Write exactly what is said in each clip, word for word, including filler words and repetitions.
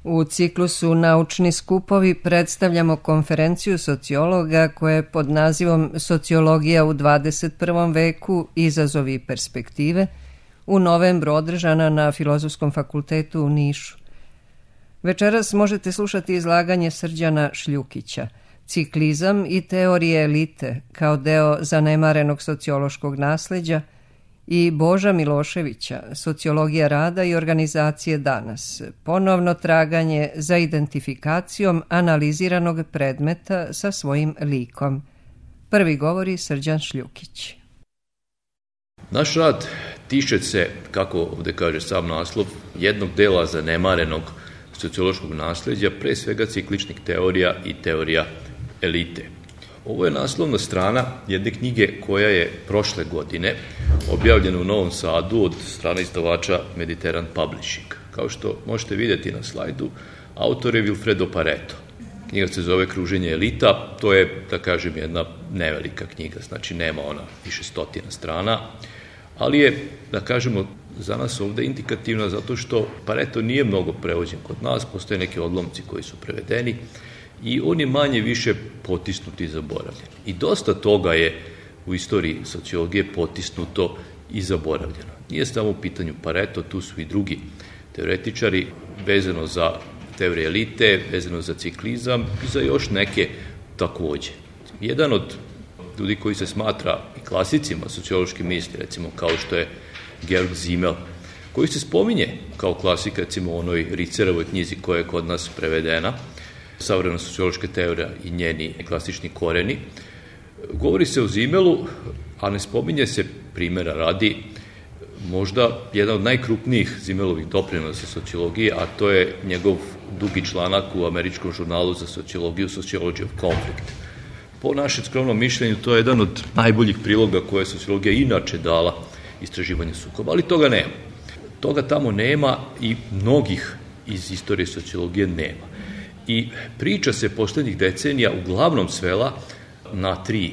U ciklusu Naučni skupovi predstavljamo konferenciju sociologa koja je pod nazivom Sociologija u dvadeset prvom veku, izazovi i perspektive, u novembru održana na Filozofskom fakultetu u Nišu. Večeras možete slušati izlaganje Srđana Šljukića, Ciklizam i teorije elite kao deo zanemarenog sociološkog nasleđa, i Boža Miloševića, Sociologija rada i organizacije danas, ponovno traganje za identifikacijom analiziranog predmeta sa svojim likom. Prvi govori Srđan Šljukić. Naš rad tiče se, kako ovdje kaže sam naslov, jednog dela zanemarenog sociološkog nasleđa, pre svega cikličnih teorija i teorija elite. Ovo je naslovna strana jedne knjige koja je prošle godine objavljena u Novom Sadu od strane izdavača Mediteran Publishing. Kao što možete vidjeti na slajdu, autor je Vilfredo Pareto. Knjiga se zove Kruženje elita, to je, da kažem, jedna nevelika knjiga, znači nema ona više stotina strana, ali je, da kažemo, za nas ovdje indikativna zato što Pareto nije mnogo prevođen kod nas, postoje neki odlomci koji su prevedeni, i on je manje više potisnut i zaboravljen. I dosta toga je u istoriji sociologije potisnuto i zaboravljeno. Nije samo u pitanju Pareto, tu su i drugi teoretičari vezano za teorije elite, vezano za ciklizam i za još neke također. Jedan od ljudi koji se smatra i klasicima sociološke misli, recimo kao što je Georg Simmel, koji se spominje kao klasik, recimo u onoj Ricerovoj knjizi koja je kod nas prevedena, Savremena sociološka teorija i njeni klasični koreni. Govori se o Simmelu, a ne spominje se, primjera radi, možda jedan od najkrupnijih Simmelovih doprinosa sociologije, a to je njegov dugi članak u američkom žurnalu za sociologiju Sociology of Conflict. Po našem skromnom mišljenju, to je jedan od najboljih priloga koje je sociologija inače dala istraživanju sukoba, ali toga nema. Toga tamo nema i mnogih iz istorije sociologije nema. I priča se posljednjih decenija uglavnom svela na tri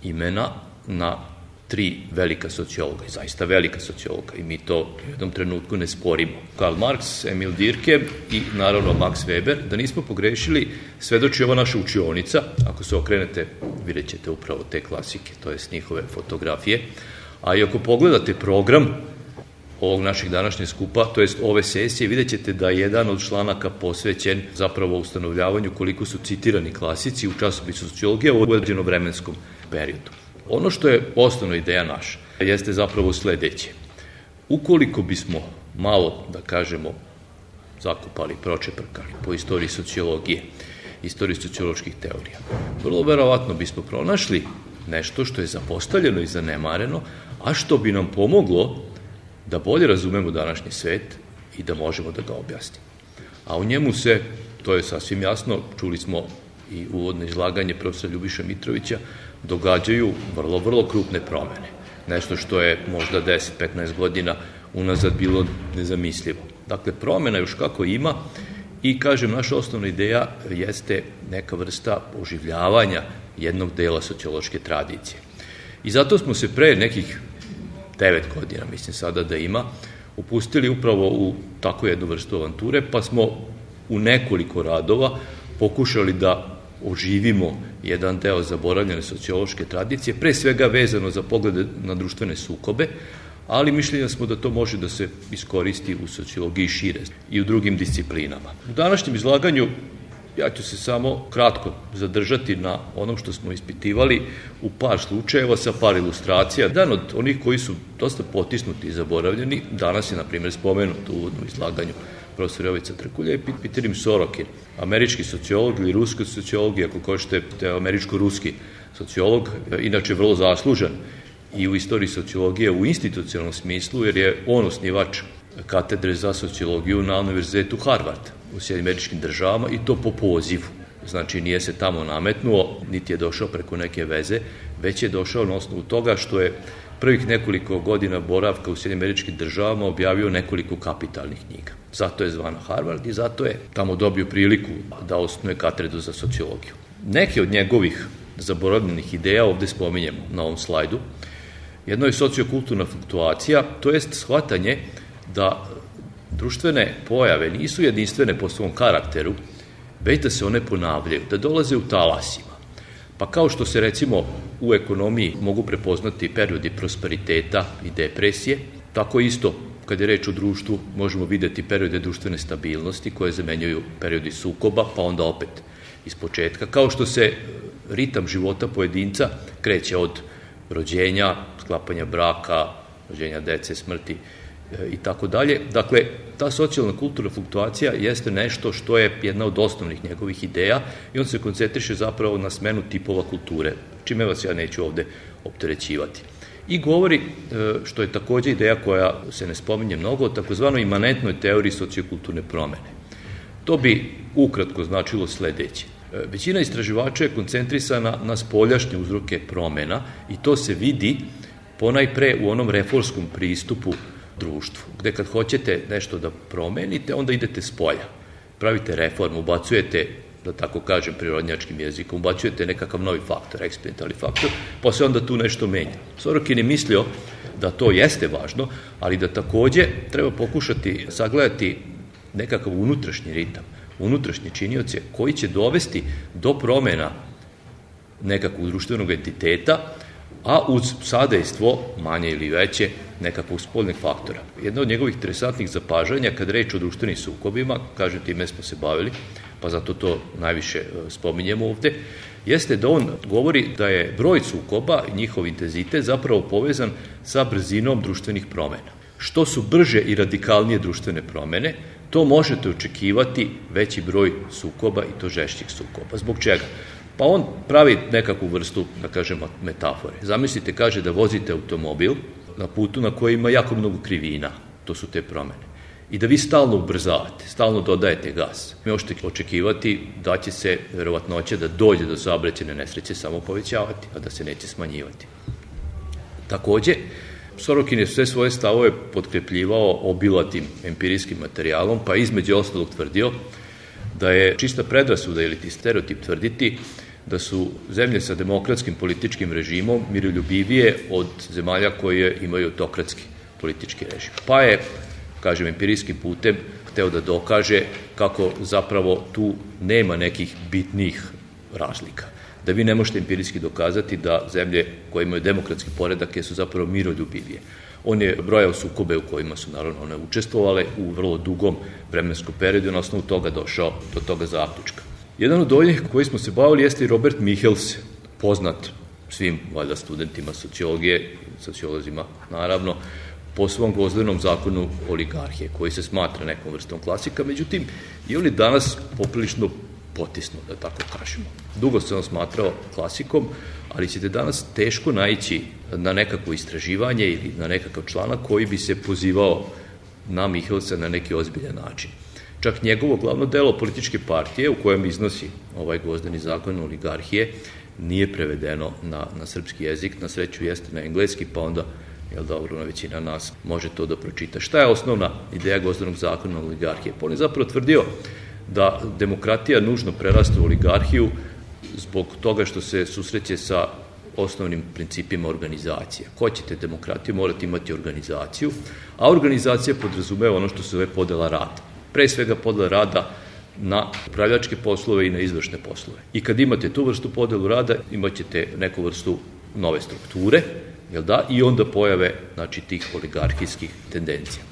imena, na tri velika sociologa, zaista velika sociologa, i mi to u jednom trenutku ne sporimo. Karl Marx, Emil Durkheim i naravno Max Weber. Da nismo pogrešili, svedoči ova naša učionica. Ako se okrenete, vidjet ćete upravo te klasike, to jest njihove fotografije. A i ako pogledate program ovog našeg današnjeg skupa, to jest ove sesije, vidjet ćete da je jedan od članaka posvećen zapravo ustanovljavanju koliko su citirani klasici u časopisu sociologije u određenom vremenskom periodu. Ono što je osnovna ideja naša jeste zapravo sledeće. Ukoliko bismo malo, da kažemo, zakupali, pročeprkali po istoriji sociologije, istoriji socioloških teorija, vrlo verovatno bismo pronašli nešto što je zapostavljeno i zanemareno, a što bi nam pomoglo da bolje razumemo današnji svet i da možemo da ga objasnimo. A u njemu se, to je sasvim jasno, čuli smo i uvodno izlaganje profesora Ljubiša Mitrovića, događaju vrlo, vrlo krupne promene. Nešto što je možda deset do petnaest godina unazad bilo nezamislivo. Dakle, promena još kako ima i, kažem, naša osnovna ideja jeste neka vrsta oživljavanja jednog dela sociološke tradicije. I zato smo se pre nekih devet godina, mislim sada da ima, upustili upravo u takvu jednu vrstu avanture, pa smo u nekoliko radova pokušali da oživimo jedan deo zaboravljene sociološke tradicije, pre svega vezano za poglede na društvene sukobe, ali mišljenja smo da to može da se iskoristi u sociologiji šire i u drugim disciplinama. U današnjem izlaganju ja ću se samo kratko zadržati na onom što smo ispitivali u par slučajeva sa par ilustracija. Jedan od onih koji su dosta potisnuti i zaboravljeni, danas je, na primjer, spomenut u uvodnom izlaganju profesor Jovica Trkulja, je Peter Sorokin, američki sociolog ili ruski sociolog, ako hoćete, američko-ruski sociolog, inače vrlo zaslužan i u istoriji sociologije u institucionalnom smislu, jer je on osnivač katedre za sociologiju na Univerzitetu Harvard u Sjedinjenim Američkim Državama, i to po pozivu. Znači, nije se tamo nametnuo, niti je došao preko neke veze, već je došao na osnovu toga što je prvih nekoliko godina boravka u Sjedinjenim Američkim Državama objavio nekoliko kapitalnih knjiga. Zato je zvana Harvard i zato je tamo dobio priliku da osnuje katedru za sociologiju. Neke od njegovih zaboravljenih ideja ovdje spominjemo na ovom slajdu. Jedno je sociokulturna fluktuacija, to jest shvatanje da društvene pojave nisu jedinstvene po svom karakteru, već da se one ponavljaju, da dolaze u talasima. Pa kao što se recimo u ekonomiji mogu prepoznati periodi prosperiteta i depresije, tako isto kad je reč o društvu možemo videti periode društvene stabilnosti koje zamenjuju periodi sukoba, pa onda opet iz početka. Kao što se ritam života pojedinca kreće od rođenja, sklapanja braka, rođenja dece, smrti i tako dalje. Dakle, ta socijalna kulturna fluktuacija jeste nešto što je jedna od osnovnih njegovih ideja i on se koncentriše zapravo na smenu tipova kulture, čime vas ja neću ovde opterećivati. I govori, što je takođe ideja koja se ne spominje mnogo, o takozvanoj imanentnoj teoriji sociokulturne promene. To bi ukratko značilo sledeće. Većina istraživača je koncentrisana na spoljašnje uzroke promena i to se vidi ponajpre u onom reformskom pristupu društvu, gde kad hoćete nešto da promenite, onda idete s polja. Pravite reformu, ubacujete, da tako kažem prirodnjačkim jezikom, ubacujete nekakav novi faktor, eksperimentalni faktor, pa se onda tu nešto menja. Sorokin je mislio da to jeste važno, ali da takođe treba pokušati sagledati nekakav unutrašnji ritam, unutrašnje činioce koji će dovesti do promena nekakvog društvenog entiteta, a uz sadejstvo, manje ili veće, nekakvog spoljnih faktora. Jedno od njegovih interesantnih zapažanja, kad reč o društvenim sukobima, kažem, time smo se bavili, pa zato to najviše spominjemo ovde, jeste da on govori da je broj sukoba i njihov intenzitet zapravo povezan sa brzinom društvenih promena. Što su brže i radikalnije društvene promene, to možete očekivati veći broj sukoba i to žešćih sukoba. Zbog čega? Pa on pravi nekakvu vrstu, da kažemo, metafore. Zamislite, kaže da vozite automobil na putu na kojoj ima jako mnogo krivina, to su te promene, i da vi stalno ubrzavate, stalno dodajete gas. Mi možete očekivati da će se verovatnoća da dođe do saobraćajne nesreće samo povećavati, a da se neće smanjivati. Takođe, Sorokin je sve svoje stavove potkrepljivao obilatim empirijskim materijalom, pa između ostalog tvrdio da je čista predrasuda ili ti stereotip tvrditi da su zemlje sa demokratskim političkim režimom miroljubivije od zemalja koje imaju autokratski politički režim. Pa je, kažem, empirijskim putem hteo da dokaže kako zapravo tu nema nekih bitnih razlika. Da vi ne možete empirijski dokazati da zemlje koje imaju demokratski poredak su zapravo miroljubivije. On je brojao sukobe u kojima su naravno one učestvovale u vrlo dugom vremenskom periodu i na osnovu toga došao do toga zaključka. Jedan od onih koji smo se bavili jeste i Robert Michels, poznat svim valjda studentima sociologije, sociolozima naravno, po svom Gvozdenom zakonu oligarhije, koji se smatra nekom vrstom klasika, međutim i on je danas poprilično potisnuo, da tako kažemo. Dugo se on smatrao klasikom, ali ćete danas teško naići na nekakvo istraživanje ili na nekakav članak koji bi se pozivao na Michelsa na neki ozbiljan način. Čak njegovo glavno delo političke partije u kojem iznosi ovaj Gvozdeni zakon oligarhije nije prevedeno na, na srpski jezik, na sreću jeste na engleski, pa onda, jel dobro, većina nas može to da pročita. Šta je osnovna ideja Gvozdenog zakona oligarhije? Pa on je zapravo tvrdio da demokratija nužno prerasta u oligarhiju zbog toga što se susreće sa osnovnim principima organizacije. Ko ćete demokratiju, morate imati organizaciju, a organizacija podrazumeva ono što se zove podela rada. Pre svega podela rada na upravljačke poslove i na izvršne poslove. I kad imate tu vrstu podelu rada, imat ćete neku vrstu nove strukture, jel da, i onda pojave, znači, tih oligarhijskih tendencija.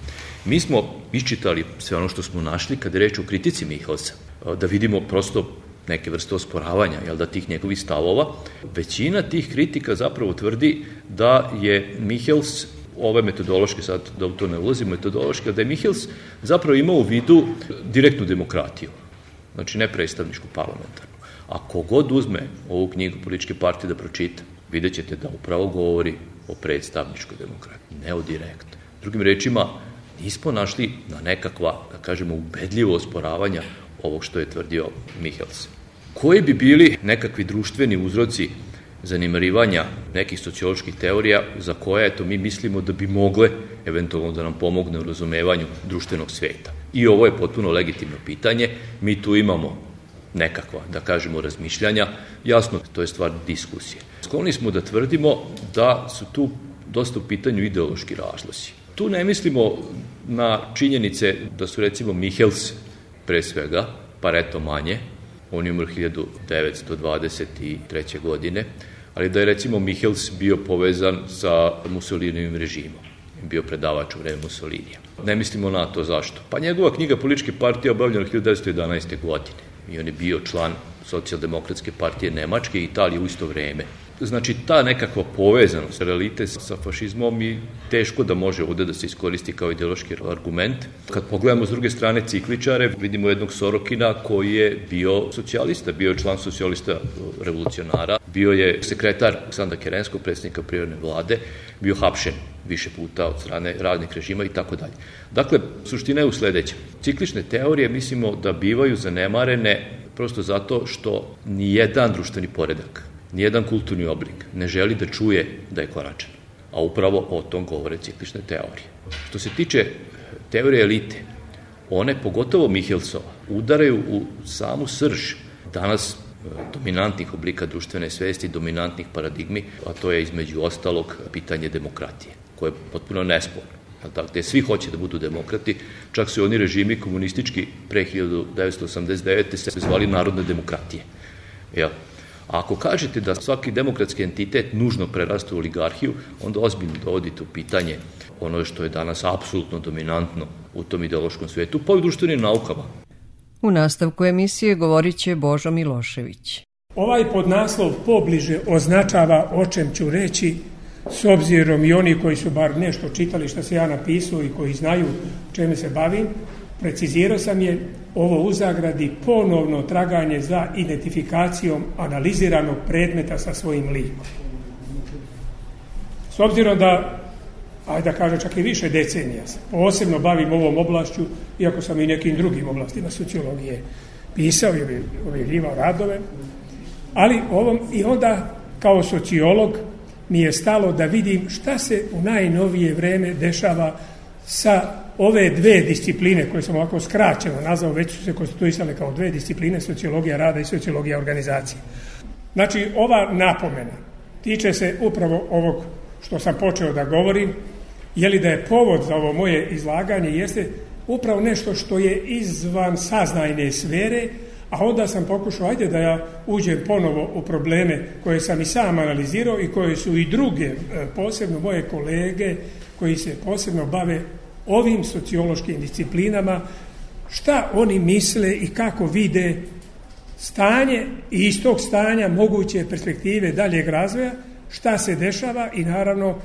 Mi smo iščitali sve ono što smo našli kada je reč o kritici Michelsa, da vidimo prosto neke vrste osporavanja, jel da, tih njegovih stavova. Većina tih kritika zapravo tvrdi da je Michels, ove metodološke, sad da u to ne ulazim, metodološke, da je Michels zapravo imao u vidu direktnu demokratiju, znači ne predstavničku parlamentarnu. A kogod uzme ovu knjigu političke partije da pročita, vidjet ćete da upravo govori o predstavničkoj demokratiji, ne o direktnoj. Drugim rečima, nismo našli na nekakva, da kažemo, ubedljivo osporavanja ovog što je tvrdio Michels. Koji bi bili nekakvi društveni uzroci zanemarivanja nekih socioloških teorija za koje, eto, mi mislimo da bi mogle eventualno da nam pomogne u razumevanju društvenog sveta? I ovo je potpuno legitimno pitanje. Mi tu imamo nekakva, da kažemo, razmišljanja. Jasno, to je stvar diskusije. Skloni smo da tvrdimo da su tu dosta u pitanju ideološki razlozi. Tu ne mislimo na činjenice da su recimo Michels pre svega, Pareto manje, on je umro hiljadu devetsto dvadeset treće. godine, ali da je recimo Michels bio povezan sa Mussolinijevim režimom, bio predavač u vreme Mussolinija. Ne mislimo na to zašto. Pa njegova knjiga Političke partije obavljena hiljadu devetsto jedanaeste. godine i on je bio član Socijaldemokratske partije Nemačke i Italije u isto vreme. Znači, ta nekakva povezanost realite sa fašizmom i teško da može ovde da se iskoristi kao ideološki argument. Kad pogledamo s druge strane cikličare, vidimo jednog Sorokina koji je bio socijalista, bio je član socijalista revolucionara, bio je sekretar Aleksandra Kerenskog, predsjednika privremene vlade, bio hapšen više puta od strane raznih režima i tako dalje. Dakle, suština je u sledećem. Ciklične teorije mislimo da bivaju zanemarene prosto zato što nijedan društveni poredak, nijedan kulturni oblik ne želi da čuje da je konačan. A upravo o tom govore ciklične teorije. Što se tiče teorije elite, one, pogotovo Michelsova, udaraju u samu srž danas dominantnih oblika društvene svesti, dominantnih paradigmi, a to je između ostalog pitanje demokratije, koje je potpuno nesporno. Gde svi hoće da budu demokrati, čak su oni režimi komunistički pre hiljadu devetsto osamdeset devete. se zvali narodne demokratije. Jel? A ako kažete da svaki demokratski entitet nužno prerasta u oligarhiju, onda ozbiljno dovodite u pitanje ono što je danas apsolutno dominantno u tom ideološkom svetu, pa i u društvenim naukama. U nastavku emisije govorit će Božo Milošević. Ovaj podnaslov pobliže označava o čem ću reći, s obzirom i oni koji su bar nešto čitali što se ja napisao i koji znaju čemu se bavim, precizirao sam je ovo u zagradi ponovno traganje za identifikacijom analiziranog predmeta sa svojim likom. S obzirom da, ajde da kažem, čak i više decenija se posebno bavim ovom oblašću, iako sam i nekim drugim oblastima sociologije pisao i objavljivao radove, ali ovom i onda kao sociolog mi je stalo da vidim šta se u najnovije vreme dešava sa ove dve discipline koje sam ovako skraćeno nazvao, već su se konstituisale kao dve discipline, sociologija rada i sociologija organizacije. Znači, ova napomena tiče se upravo ovog što sam počeo da govorim, je li da je povod za ovo moje izlaganje jeste upravo nešto što je izvan saznajne sfere, a onda sam pokušao, ajde da ja uđem ponovo u probleme koje sam i sam analizirao i koje su i druge, posebno moje kolege koji se posebno bave ovim sociološkim disciplinama, šta oni misle i kako vide stanje i iz tog stanja moguće perspektive daljeg razvoja, šta se dešava i naravno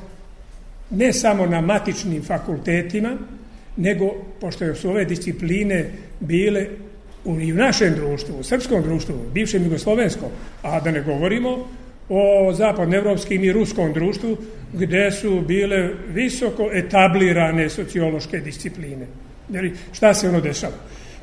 ne samo na matičnim fakultetima, nego, pošto su ove discipline bile i u našem društvu, u srpskom društvu, bivšem jugoslovenskom, a da ne govorimo o zapadnoevropskim i ruskom društvu, gde su bile visoko etablirane sociološke discipline. Jer šta se ono dešava?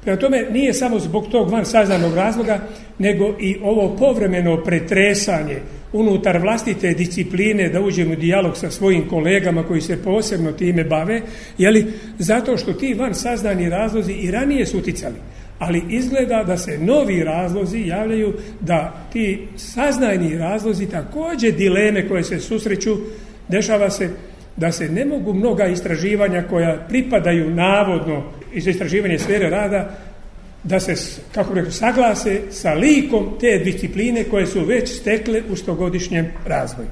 Prema tome, nije samo zbog tog van saznanog razloga, nego i ovo povremeno pretresanje unutar vlastite discipline da uđemo u dijalog sa svojim kolegama koji se posebno time bave, jeli, zato što ti van saznani razlozi i ranije su uticali. Ali izgleda da se novi razlozi javljaju, da ti saznajni razlozi, također dileme koje se susreću, dešava se da se ne mogu mnoga istraživanja koja pripadaju navodno iz istraživanja sfere rada, da se, kako rekao, saglase sa likom te discipline koje su već stekle u stogodišnjem razvoju.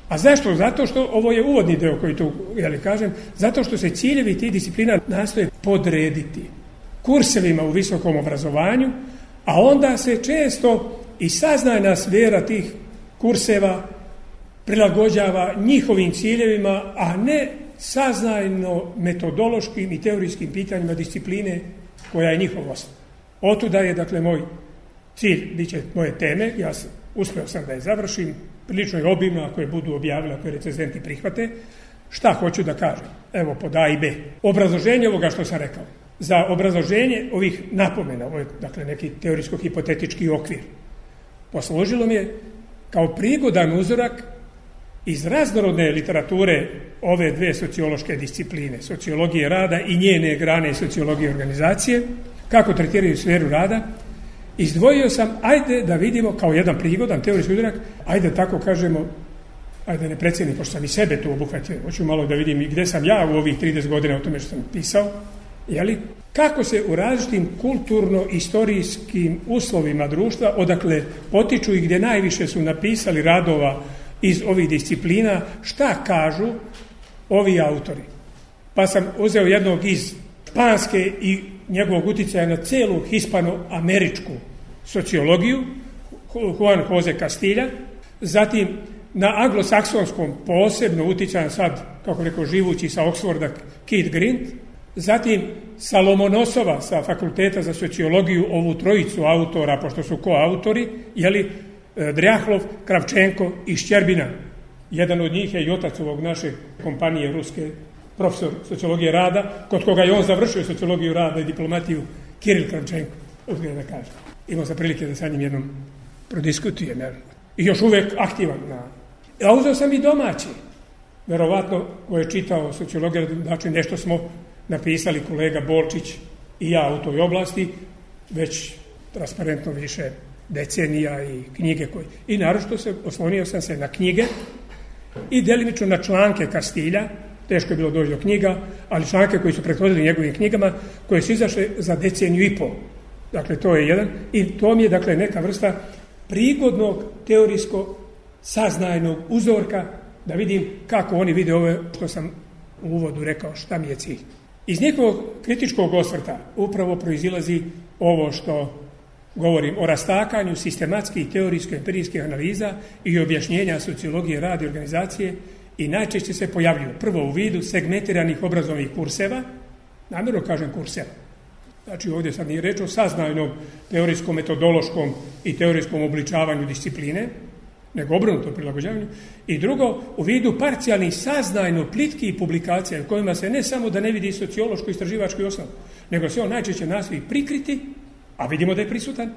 A zašto? Zato što, ovo je uvodni deo koji tu, jeli kažem, zato što se ciljevi tih disciplina nastoje podrediti kursevima u visokom obrazovanju, a onda se često i saznajna sfera tih kurseva prilagođava njihovim ciljevima, a ne saznajno metodološkim i teorijskim pitanjima discipline koja je njihov osnov. Otuda je, dakle, moj cilj, bit će moje teme, ja sam, uspeo sam da je završim, prilično je obimno ako je budu objavili, ako je recenzenti prihvate. Šta hoću da kažem? Evo, pod A i B. Obrazloženje ovoga što sam rekao. Za obrazloženje ovih napomena, ovo je, dakle, neki teorijsko-hipotetički okvir, poslužilo mi je kao prigodan uzorak iz raznorodne literature ove dve sociološke discipline, sociologije rada i njene grane sociologije organizacije, kako tretiraju sferu rada. Izdvojio sam, ajde da vidimo kao jedan prigodan teorijski uzorak, ajde tako kažemo, ajde ne precijenim, pošto sam i sebe tu obuhvatio, hoću malo da vidim i gde sam ja u ovih trideset godina o tome što sam pisao, jeli, kako se u različitim kulturno-istorijskim uslovima društva, odakle potiču i gdje najviše su napisali radova iz ovih disciplina, šta kažu ovi autori. Pa sam uzeo jednog iz španske i njegovog uticaja na celu hispanoameričku sociologiju, Juan Jose Castilja, zatim na anglosaksonskom posebno uticajan sad, kako rekao, živući sa Oxforda Keith Grint, zatim sa Lomonosova sa Fakulteta za sociologiju, ovu trojicu autora, pošto su koautori, jeli, Drjahlov, Kravčenko i Šćerbina. Jedan od njih je i otac ovog naše kompanije ruske, profesor sociologije rada, kod koga je on završio sociologiju rada i diplomatiju, Kiril Kravčenko, uzgleda da kaže. Imao sam prilike da sa njim jednom prodiskutujem, i još uvek aktivan. A uzeo sam i domaći, verovatno ko je čitao sociologiju, znači nešto smo napisali kolega Bolčić i ja u toj oblasti, već transparentno više decenija i knjige koje... I naročito se oslonio sam se na knjige i delimično na članke Castilja, teško je bilo doći do knjiga, ali članke koji su prethodili njegovim knjigama, koje su izašle za deceniju i pol. Dakle, to je jedan. I to mi je, dakle, neka vrsta prigodnog teorijskog saznajnog uzorka da vidim kako oni vide ove što sam u uvodu rekao, šta mi je cilj. Iz njihovog kritičkog osvrta upravo proizilazi ovo što govorim o rastakanju sistematskih, teorijsko-empirijskih analiza i objašnjenja sociologije rada i organizacije i najčešće se pojavljuju prvo u vidu segmentiranih obrazovnih kurseva, namjerno kažem kurseva. Znači ovdje sad nije reč o saznajnom teorijskom, metodološkom i teorijskom obličavanju discipline, nego obrnuto prilagođavanju. I drugo, u vidu parcijalnih saznajno plitkih publikacija u kojima se ne samo da ne vidi sociološko istraživački osnov, nego se on najčešće nastoji prikriti, a vidimo da je prisutan,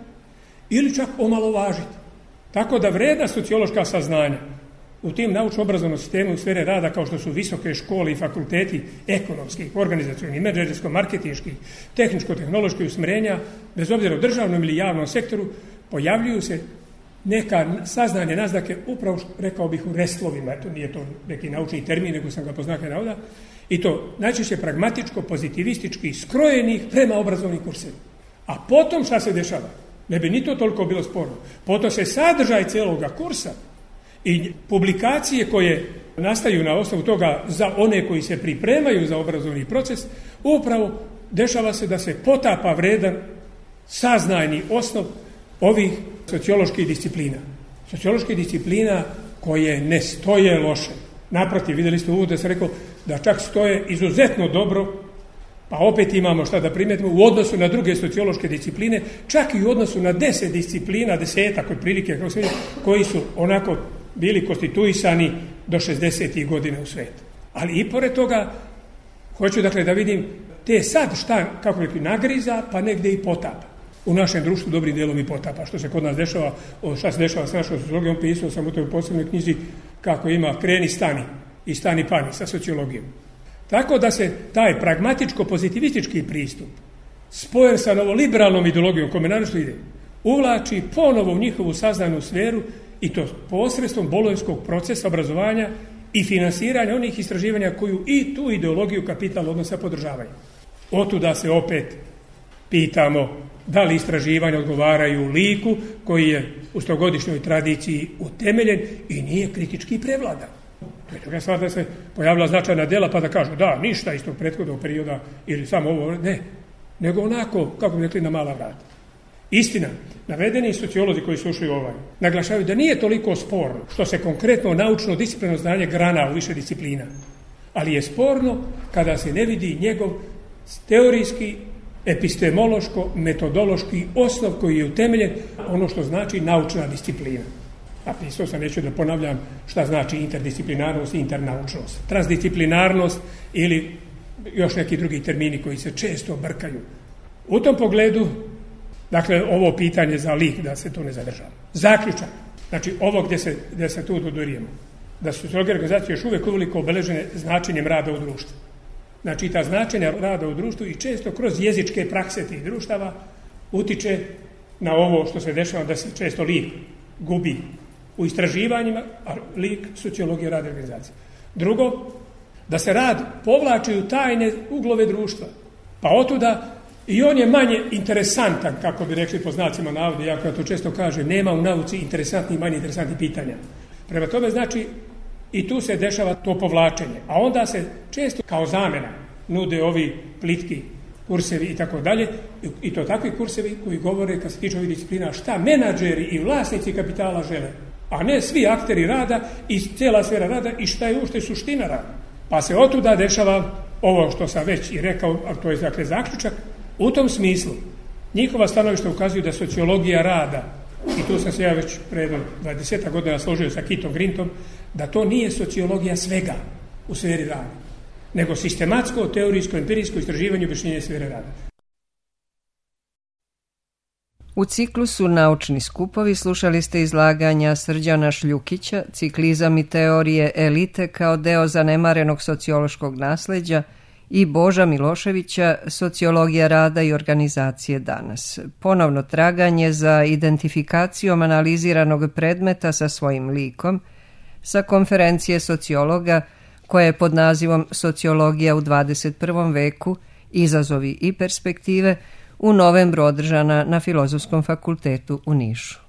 ili čak omalovažiti. Tako da vredna sociološka saznanja u tim naučno-obrazovnom sistemu u sfere rada, kao što su visoke škole i fakulteti ekonomskih, organizacionih, menadžersko-marketinških, tehničko-tehnoloških usmjerenja, bez obzira u državnom ili javnom sektoru, pojavljuju se neka saznanje, naznake, upravo, rekao bih, u restlovima, eto nije to neki naučni termin, nego sam ga poznakao navoda, i to najčešće pragmatičko, pozitivistički, skrojenih prema obrazovnim kursevima. A potom šta se dešava? Ne bi ni to toliko bilo sporno. Potom se sadržaj celoga kursa i publikacije koje nastaju na osnovu toga za one koji se pripremaju za obrazovni proces, upravo dešava se da se potapa vredan saznajni osnov ovih socioloških disciplina. Socioloških disciplina koje ne stoje loše. Naprotiv, vidjeli ste uvod da se rekao da čak stoje izuzetno dobro, pa opet imamo šta da primetimo u odnosu na druge sociološke discipline, čak i u odnosu na deset disciplina, desetak otprilike, koji su onako bili konstituisani do šezdesetih godina u svijetu. Ali i pored toga, hoću dakle da vidim te sad šta, kako rekli, nagriza, pa negdje i potapa. U našem društvu dobrim dijelom i potapa. Što se kod nas dešava, o šta se dešava s našom sociologijom, pisao sam u toj posebnoj knjizi kako ima kreni stani i stani pani sa sociologijom. Tako da se taj pragmatičko-pozitivistički pristup spojen sa novoliberalnom ideologijom, kome naročito ide, uvlači ponovo u njihovu saznanu sferu i to posredstvom bolonjskog procesa obrazovanja i finansiranja onih istraživanja koju i tu ideologiju kapital odnosa podržavaju. Otuda se opet pitamo da li istraživanja odgovaraju liku koji je u stogodišnjoj tradiciji utemeljen i nije kritički prevladan. To je druga stvar da se pojavila značajna djela pa da kažu da, ništa iz tog prethodnog perioda ili samo ovo, ne, nego onako, kako bi rekli, na mala vrata. Istina, navedeni sociolozi koji su ušli u ovaj, naglašavaju da nije toliko sporno što se konkretno naučno disciplinarno znanje grana u više disciplina, ali je sporno kada se ne vidi njegov teorijski, epistemološko, metodološki osnov koji je utemeljen ono što znači naučna disciplina. A pisao sam, neću da ponavljam šta znači interdisciplinarnost i internaučnost. Transdisciplinarnost ili još neki drugi termini koji se često brkaju. U tom pogledu, dakle, ovo pitanje za lik, da se to ne zadržava. Zaključak, znači ovo gdje se, gdje se tu dodurijemo, da su sociološke organizacije još uvijek uveliko obeležene značenjem rada u društvu. Znači, ta značenja rada u društvu i često kroz jezičke prakse tih društava utiče na ovo što se dešava da se često lik gubi u istraživanjima, a lik sociologije rada i organizacije. Drugo, da se rad povlači u tajne uglove društva, pa otuda i on je manje interesantan, kako bi rekli po znacima navoda, jako ja to često kažem, nema u nauci interesantnih i manje interesantnih pitanja. Prema tome, znači, i tu se dešava to povlačenje. A onda se često kao zamjena nude ovi plitki kursevi i tako dalje, i to takvi kursevi koji govore, kad se tiče ovih disciplina, šta menadžeri i vlasnici kapitala žele, a ne svi akteri rada i cijela sfera rada i šta je uopšte suština rada. Pa se otuda dešava ovo što sam već i rekao, a to je dakle zaključak. U tom smislu njihova stanovišta ukazuju da sociologija rada, i tu sam se ja već pre dvadeset godina složio sa Kitom Grintom, da to nije sociologija svega u sferi rada, nego sistematsko, teorijsko, empirijsko istraživanje i objašnjenje sfere rada. U ciklusu Naučni skupovi slušali ste izlaganja Srđana Šljukića, Ciklizam i teorije elite kao deo zanemarenog sociološkog nasleđa, i Boža Miloševića, Sociologija rada i organizacije danas. Ponovno traganje za identifikacijom analiziranog predmeta sa svojim likom, sa konferencije sociologa koja je pod nazivom Sociologija u dvadeset prvom veku, izazovi i perspektive, u novembru održana na Filozofskom fakultetu u Nišu.